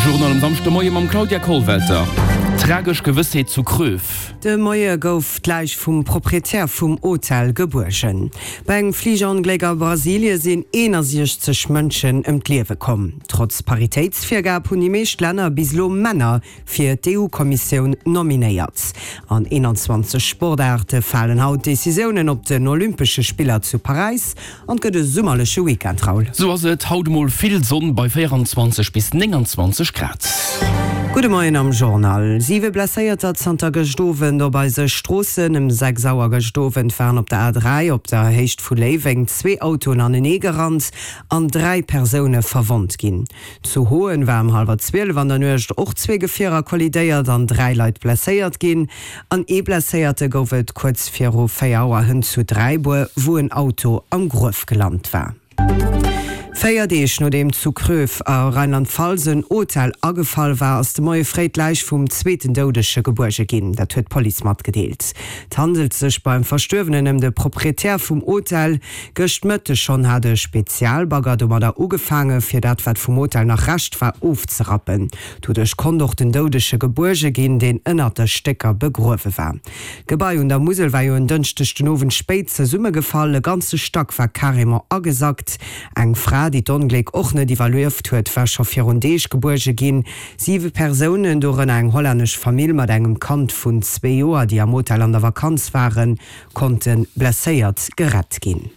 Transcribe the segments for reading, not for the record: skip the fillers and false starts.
Journal um Samschdemoie mam Claudia Kollwelter. Tragesch Gewëssheet zu Kröv. De Moie gouf d'Läich vum Proprietär vum Hotel gebuergen. Bei engem Fligerongléck a Brasilie sinn 61 Mënschen ëm d'Liewe komm. Trotz Paritéitsvirgab hunn déi meescht Länner bis elo Männer fir d'EU-Kommissioun nominéiert. An 21 Sportaarte falen haut Decisiounen op den Olympesche Spiller zu Paräis an et gëtt e summerleche Weekend, Raoul. Sou ass et, haut emol vill Sonn bei 24 bis 29 Grad. Gudde Moien am Journal. Siwe Blesséierter zanter gëscht Owend op eise Stroossen. Ëm 6 Auer gëscht Owend waren op der A3 op der Héicht vu Léiweng zwee Autoen anenee gerannt an 3 Persoune verwonnt ginn. Zu Hoen war ëm hallwer 12 an der Nuecht och zwee Gefierer kollidéiert an 3 Leit blesséiert ginn. An ee Blesséierte gouf et kuerz viru 4 Auer hënt zu Dräibuer, wou en Auto am Gruef gelant war. 4 Deeg nodeem zu Kröv a Rheinland-Pfalz en Hotel agefall war, ass de Moie fréi d'Läich vum zweeten Doudege gebuerge ginn. Dat huet d'Police matgedeelt. Et handelt sech beim Verstuerwenen ëm de Proprietär vum Hotel. Gëscht Mëtteg schonn hat e Spezialbagger domadder ugefaange fir dat wat vum Hotel nach Rescht war ofzerappen. Doduerch konnt och den Doudege gebuerge ginn, deen ënnert de Stécker begruewe war. D'Gebai un der Musel war jo en Dënschdeg den Owend spéit zesummegefall. E ganze Stack war carrément agesackt. Eng Fra, déi d'Ongléck och net iwwerlieft huet, war scho virun Deeg gebuerge ginn. Siwe Persounen, dorënner eng hollännesch Famill mat engem Kand vun zwee Joer, déi am Hotel an der Vakanz waren, konnte blesséiert gerett ginn.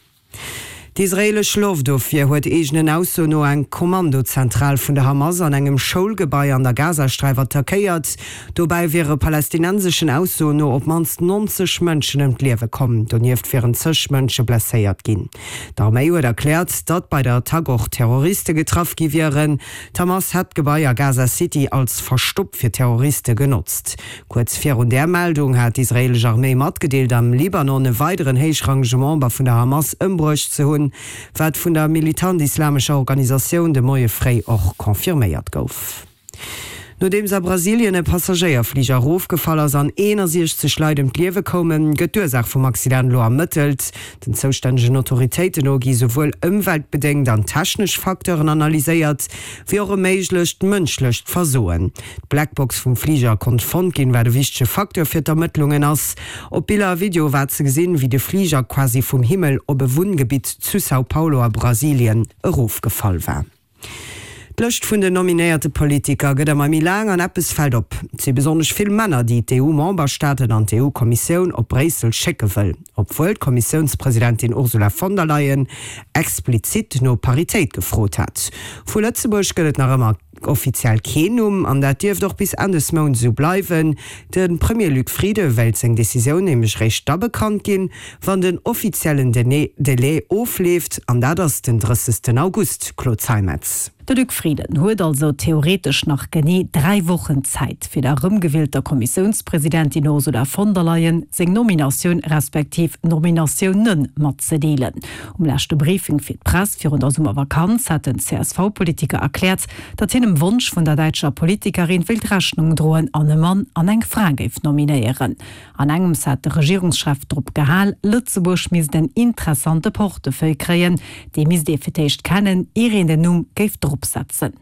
D'israeelesch Loftofwier huet eegenen Aussoen no eng Kommandozentral vun der Hamas an engem Schoulgebai an der Gazasträif attackéiert. Dobäi wiere palästinenseschen Aussoen no op d'mannst 90 Mënschen ëm d'Liewe komm. Donieft wieren zeg Mënsche blesséiert ginn. D'Arméi huet erkläert, datt bei der Attack och Terroriste getraff gi wieren. D'Hamas hätt d'Gebai a Gaza City als Verstopp fir Terroriste genotzt. Kuerz virun där Meldung hat d'israeelesch Arméi matgedeelt, am Libanon e weideren héichrangege Member vun der Hamas ëmbruecht ze hunn, wat vun der militant-islamescher Organisatioun de Moie fréi och confirméiert gouf. Nodeems a Brasilien e Passagéierfliger erofgefall ass an 61 Leit ëm d'Liewe koumen, gëtt d'Ursaach vum Accident elo ermëttelt. Den zoustännegen Autoritéiten no gi souwuel ëmweltbedéngt an technesch Facteuren analyséiert, wéi och e méiglecht mënschlecht Versoen. D'Blackbox vum Fliger konnt fonnt ginn, wat e wichtege Facteur fir d'Ermëttlungen ass. Op Biller a Videoe war ze gesinn, wéi de Fliger quasi vum Himmel op e Wunngebitt zu São Paulo a Brasilien erofgefall war. D'Lëscht vun den nominéierte Politiker gëtt ëmmer méi laang an eppes fält op, Et si besonnesch vill Männer, déi d'EU-Memberstaaten an d'EU-Kommissioun op Bréissel schécke wëll, obwuel d'Kommissiounspresidentin Ursula von der Leyen explizit no Paritéit gefrot hat. Vu Lëtzebuerg gëtt et nach ëmmer offiziell keen Numm an dat dierft och bis Enn des Mounts esou bleiwen. De Premier Luc Frieden wéilt seng Decisioun nämlech réischt da bekannt ginn, wann den offiziellen Delai ofleeft, an dat ass den 30. August, Claude Zeimetz. De Luc Frieden huet also theoretesch nach genee 3 Wochen Zäit, fir der erëmgewielter Kommissiounspresidentin Ursula von der Leyen seng Nominatioun respektiv Nominatiounen matzedeelen. Um leschte Briefing fir d'Press virun der Summervakanz hat den CSV-Politiker erkläert, datt hien dem Wonsch vun der däitscher Politikerin wéilt Rechnung droen an e Mann an eng Fra géif nominéieren. An engems hat de Regierungschef drop gehal, Lëtzebuerg misst en interessante Portefeuille kréien. Dee misst ee fir d'éischt kennen, ier een den Numm géif dropsetzen.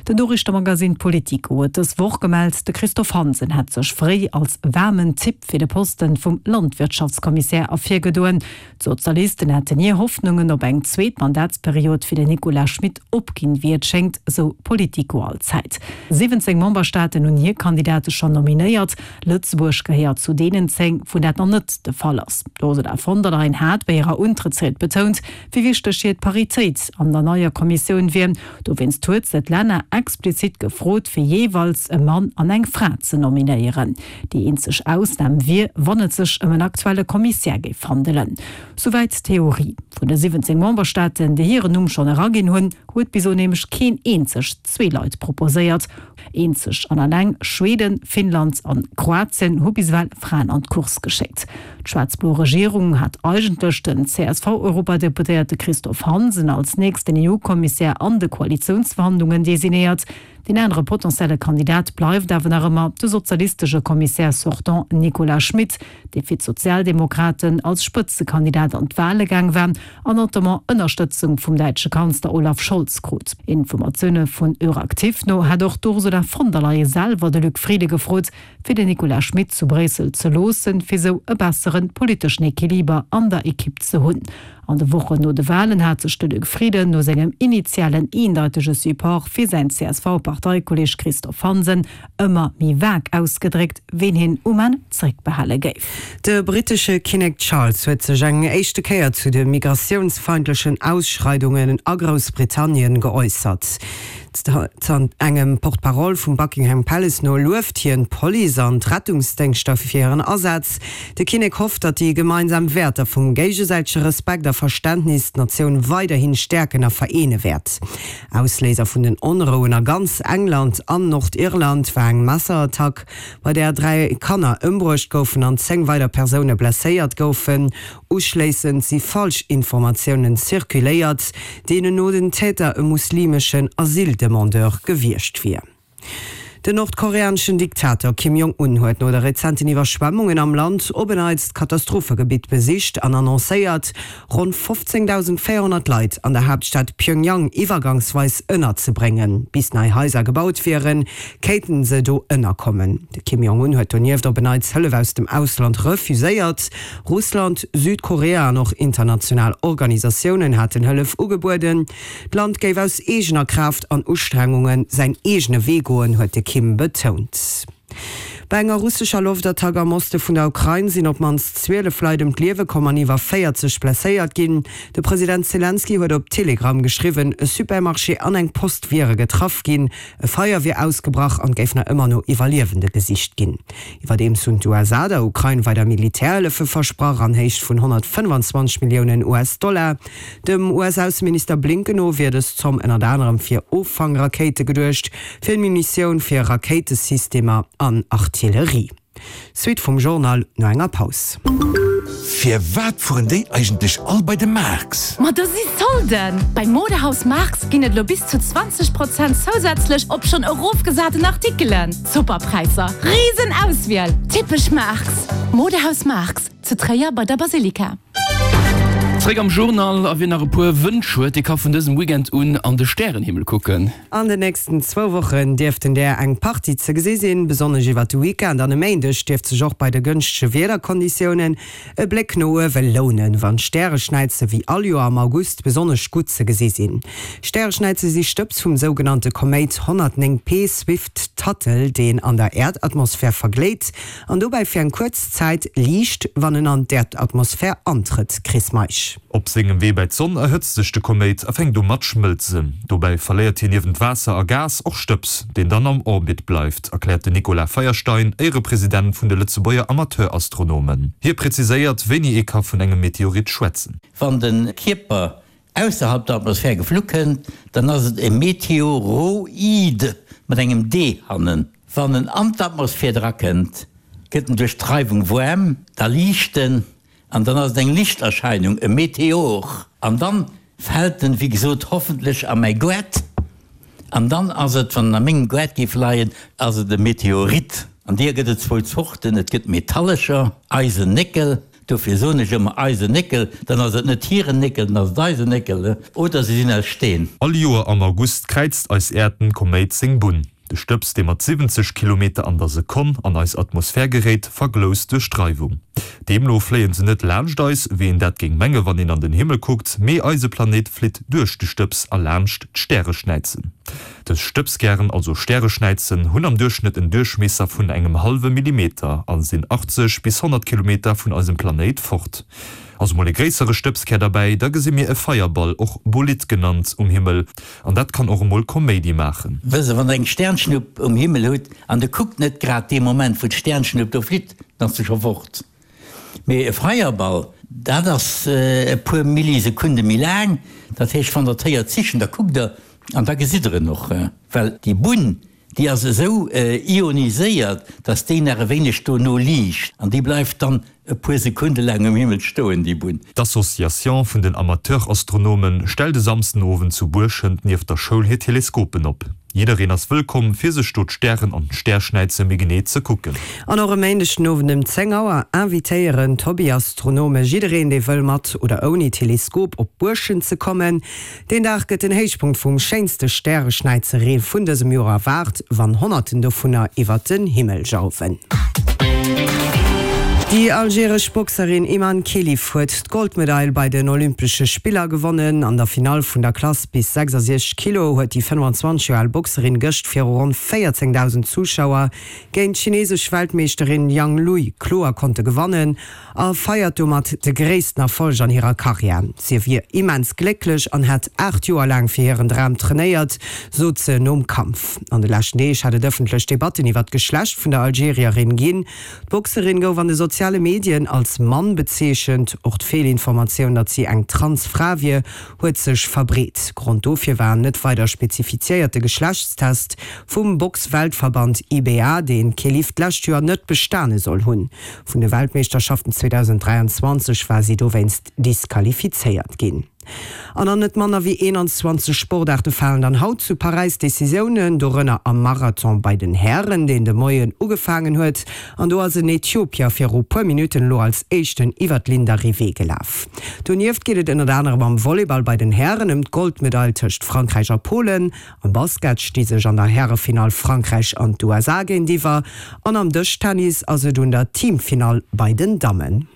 Den Noriichtemagazin Politico huet dës Woch gemellt, de Christophe Hansen hätt sech fréi als waarmen Typ fir de Posten vum Landwirtschaftskommissär ervirgedoen. D'Sozialisten hätten hir Hoffnungen op eng zweet Mandatsperiod fir den Nicolas Schmit opginn, wéi et schéngt, sou Politico allzäit. 17 Memberstaaten hunn hir Kandidate schonn nominéiert. Lëtzebuerg gehéiert zu deenen 10, wou dat nach net de Fall ass. D'Ursula von der Leyen hat bei hirer Untrëttsried betount, wéi wichteg hir d'Paritéit an der neier Kommissioun wier. Dowéinst huet se d'Länner explizit gefrot, fir jeeweils e Mann an eng Fra ze nominéieren. Déi eenzeg Ausnam wier, wann et sech ëm en aktuelle Kommissär géif handelen. Souwäit d'Theorie. Vun de 17 Memberstaaten, déi hiren Numm schonn eraginn hunn, huet bis elo nämlech keen eenzegt zwee Leit proposéiert. Eenzeg an alleng Schweden, Finnland an Kroatien hu bis ewell Fraen an d'Course geschéckt. D'schwaarz-blo Regierung hat eigentlech den CSV-Europadeputéierte Christophe Hansen als nächsten EU-Kommissär an de Koalitiounsvertrag. Koalitiounsverhandlungen designéiert. Deen anere potentielle Kandidat bleift awer nach ëmmer de sozialistesche Commissaire sortant Nicolas Schmit, dee fir d'Sozialdemokraten als Spëtzekandidat an d'Wale gaang war an notamment Ënnerstëtzung vum däitsche Kanzler Olaf Scholz krut. Informatioune vun Euractiv no hätt och d'Ursula von der Leyen selwer de Luc Frieden gefrot, fir den Nicolas Schmit zu Bréissel ze loossen, fir sou e bessere politeschen Equiliber an der Ekipp ze hunn. An de Wochen no de Walen hat sech de Luc Frieden no sengem initialen eendeitege Support fir säin CSV-Parteikolleeg Christophe Hansen ëmmer méi vag ausgedréckt, ween hien um Enn zeréckbehale géif. De brittesche Kinnek Charles huet sech eng éischte Kéier zu de migratiounsfeindlechen Ausschreidungen a Groussbritannien geäussert. Engem Porte-parole vum Buckingham Palace no lueft hien d'Police an d'Rettungsdéngschter fir hiren Asaz. De Kinnek hofft, datt déi gemeinsam Wäerter vum géigesäitege Respekt a Verständnis d'Natioun weiderhi stäerken a vereene wäert. Ausléiser vun den Onrouen a ganz England an Nordirland war eng Messerattack, bei där 3 Kanner ëmbruecht goufen an 10 weider Persoune blesséiert goufen. Uschléissend si Falschinformatiounen zirkuléiert, deenen no den Täter e muslimeschen Asyldemandeur gewiescht wier. Den nordkoreaneschen Diktator Kim Jong-un huet no de rezenten Iwwerschwemmungen am Land op en Neits d'Katastrophegebitt besicht an annoncéiert, ronn 15.400 Leit an der Haaptstad Pjöngjang iwwergangsweis ënnerzebréngen. Bis nei Haiser gebaut wieren, kéinten se do ënnerkommen. De Kim Jong-un huet donieft op en Neits Hëllef aus dem Ausland refuséiert. Russland, Südkorea an och international Organisatiounen haten Hëllef ugebueden. D'Land géif aus eegener Kraaft an Ustrengunge säin eegene Wee goen, huet de Kim betount. Bei enger russescher Loftattack am Oste vun der Ukrain sinn op d'mannst 12 Leit ëm d'Liewe komm an iwwer 40 blesséiert ginn. De President Selenskyj huet op Telegram geschriwwen, e Supermarché an eng Post wiere getraff ginn, e Feier wier ausgebrach an et géif nach ëmmer no Iwwerliewende gesicht ginn. Iwwerdeems hunn d'USA der Ukrain weider Militärhëllefe versprach an Héicht vun 125 Milliounen US-Dollar. Dem US-Ausseminister Blinken no wier dës Zomm ënnert anerem fir Offangrakéite geduecht, fir Munitioun fir Rakéitesystemer an Artillerie. Suite vum Journal no enger Paus. Firwat fueren déi eigentlech all bei de Marx? Ma do si Solden! Bei Modehaus Marx ginn et elo bis zu 20 Prozent zousätzlech op schonn erofgesaten Artikelen. Super Präisser, riesen Auswiel, typesch Marx! Modehaus Marx, zu Tréier bei der Basilika. Zréck am Journal, a wien nach e puer Wënsch huet, dee ka vun dësem Weekend un an de Stärenhimmel kucken. An den nächsten zwou Wochen dierften där eng Partie ze gesi sinn. Besonnesch iwwert de Weekend an e Méindeg dierft sech och bei de gënschtege Wiederkonditiounen e Bléck no uewe lounen, wann d'Stäreschnäize wéi all Joer am August besonnesch gutt ze gesi sinn. Stäreschnäize si Stëbs vum sougenannte Koméit 109 P Swift-Tuttle, deen an der Äerdatmosphär vergléit an dobäi fir eng kuerz Zäit liicht, wann en an d'Äerdatmosphär antrëtt. Chris Meisch. Op sengem Wee bei d'Sonn erhëtzt sech de Koméit a fänkt u mat schmëlzen. Dobäi verléiert hien niewent Waasser a Gas och Stëbs, deen dann am Orbit bleift, erkläert den Nicolas Feierstein, Éierepresident vun de Lëtzebuerger Amateurastronomen. Hie präziséiert, wéini ee ka vun engem Meteorit schwätzen. Wann de Kierper ausserhalb der Atmosphär geflu kënnt, dann ass et e Meteoroid mat engem d hannen. Wann en an d'Atmosphär drakënnt, gëtt en duerch d'Reiwung waarm, da liicht en an dann ass et eng Lichterscheinung, e Meteor. An dann fält en, wéi gesot, hoffentlech a mäi Goart an dann ass et, wann en a mengem Goart géif leien, ass et e Meteorit. An deeër gëtt et zwou Zorten, et gëtt metallescher, Eisen, Néckel, Dofir soen ech ëmmer eisen Néckel, dann ass et net hiren Néckel, dann ass et eisen Néckel, oder se sinn aus Steen. All Joer am August kräizt eis Äerd den Koméit seng Bunn. De Stëbs, dee mat 70 Kilometer an der Sekonn an eis Atmosphär geréit, vergloust duerch d'Reiwung. Deemno fléien se net laanscht eis, wéi een dat géing menge wann een an den Himmel kuckt, mee eise Planéit flitt duerch de Stëbs a laanscht d'Stäreschnäizen. Dës Stëbskären, also Stäreschnäizen, hunn am Duerchschnëtt en Duerchmiesser vun engem hallwe Millimeter a sinn 80 bis 100 Kilometer vun eisem Planéit fort. Ass emol e gréissere Stëbskär derbäi, da gesi mir e Feierball, och Bolid genannt, um Himmel, an dat kann och emol Koméidi maachen. Wësst Der, wann Der eng Sternschnupp um Himmel hutt an Der kuckt net grad dee Moment, wou d'Sternschnupp do flitt, dann ass se scho fort. Mee e Feierball, dat ass e puer Millisekunde méi laang. Dat heescht, wann Der d'héiert zischen, da kuckt Der an da gesitt Der en och. Well déi Bunn, déi ass esou ioniséiert, dass déi nach e wéineg dono liicht an déi bleift dann. e puer Sekunde laang um Himmel stoen, déi Bunn. D'Association vun den Amateurastronomen stellt e Samsdenowend zu Buerschent nieft der Schoul hir Teleskopen op. Jiddereen ass wëllkomm, fir sech do d'Stären an d'Stärschnäize méi genee ze kucken. An och e Méindeg den Owend ëm 10 Auer invitéieren d'Hobbyastronome jiddereen, dee wëll mat oder ouni Teleskop op Buerschent ze kommen. Deen Dag gëtt den Héichpunkt vum schéinste Stäreschnäizeree vun dësem Joer erwaart, wann Honnerten dovunner iwwert den Himmel jauwen. Déi algeresch Boxerin Imane Khelif huet d'Goldmedail bei den Olympesche Spiller gewonnen. An der Finall vun der Klass bis 66 Kilo huet déi 25 Joer al Boxerin gëscht viru ronn 14.000 Zuschauer géint d'chinesesch Weltmeeschterin Yang Lui kloer konnte gewannen. A feiert domat de gréissten Erfolg an hirer Karriär. Si wier immens glécklech an hätt 8 Joer laang fir hiren Dram trainéiert, sot se nom Kampf. An de leschten Deeg hat et ëffentlech Debatten iwwer d'Geschlecht vun der Algerierin ginn. D'Boxerin gouf an de soziale Medien als Mann bezeechent. Och d'Feelinformatioun, datt si eng Trans-Fra wier, huet sech verbreet. Grond dofir war en net weider spezifiziéierte Geschlechtstest vum Box-Weltverband IBA, deen d'Khelif d'lescht Joer net bestane soll hunn. Vun de Weltmeeschterschaften 2023 war si dowéinst disqualifizéiert ginn. An an net manner wéi 21 Sportaarte falen dann haut zu Paräis Decisiounen, dorënner am Marathon bei den Hären, deen de Moien ugefaangen huet. An do ass en Äthiopier viru puer Minutten elo als éischten iwwer d'Ligne d'arrivée gelaf. Donieft geet et ënnert anerem am Volleyball bei den Hären ëm d'Goldmedail tëscht Frankräich a Polen. Am Basket sti sech an der Härefinall Frankräich an d'USA géintiwwer an am Dëschtennis ass et un der Teamfinall bei den Dammen.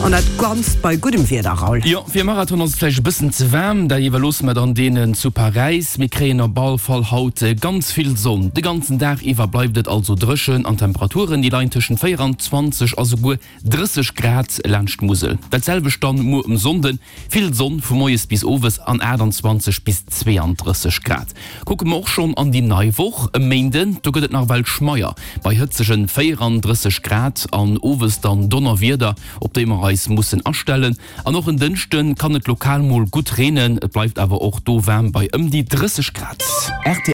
An dat Ganzt bei guddem Wieder, Raoul. Jo, fir e Marathon ass et vläicht e bëssen ze waarm, dat iwwerloosse mer dann deenen zu Paräis. Mir kréien op all Fall haut ganz vill Sonn. De ganzen Dag iwwer bleift et also dréchen an d'Temperaturen, déi leien tëschent 24 a souguer 30 Grad laanscht d'Musel. Dat selwecht dann muer um Sonnden, vill Sonn vu moies bis owes an 28 bis 32 Grad. Kucke mer och schonn an déi nei Woch, e Méinden, do gëtt et nach ewell schmeier bei hëtzegen 34 Grad an owes dann Donnerwieder, op déi mer eis mussen astellen. An och en Dënschde kann et lokal mol gutt reenen, et bleift awer och do waarm bei ëm déi 30 Grad.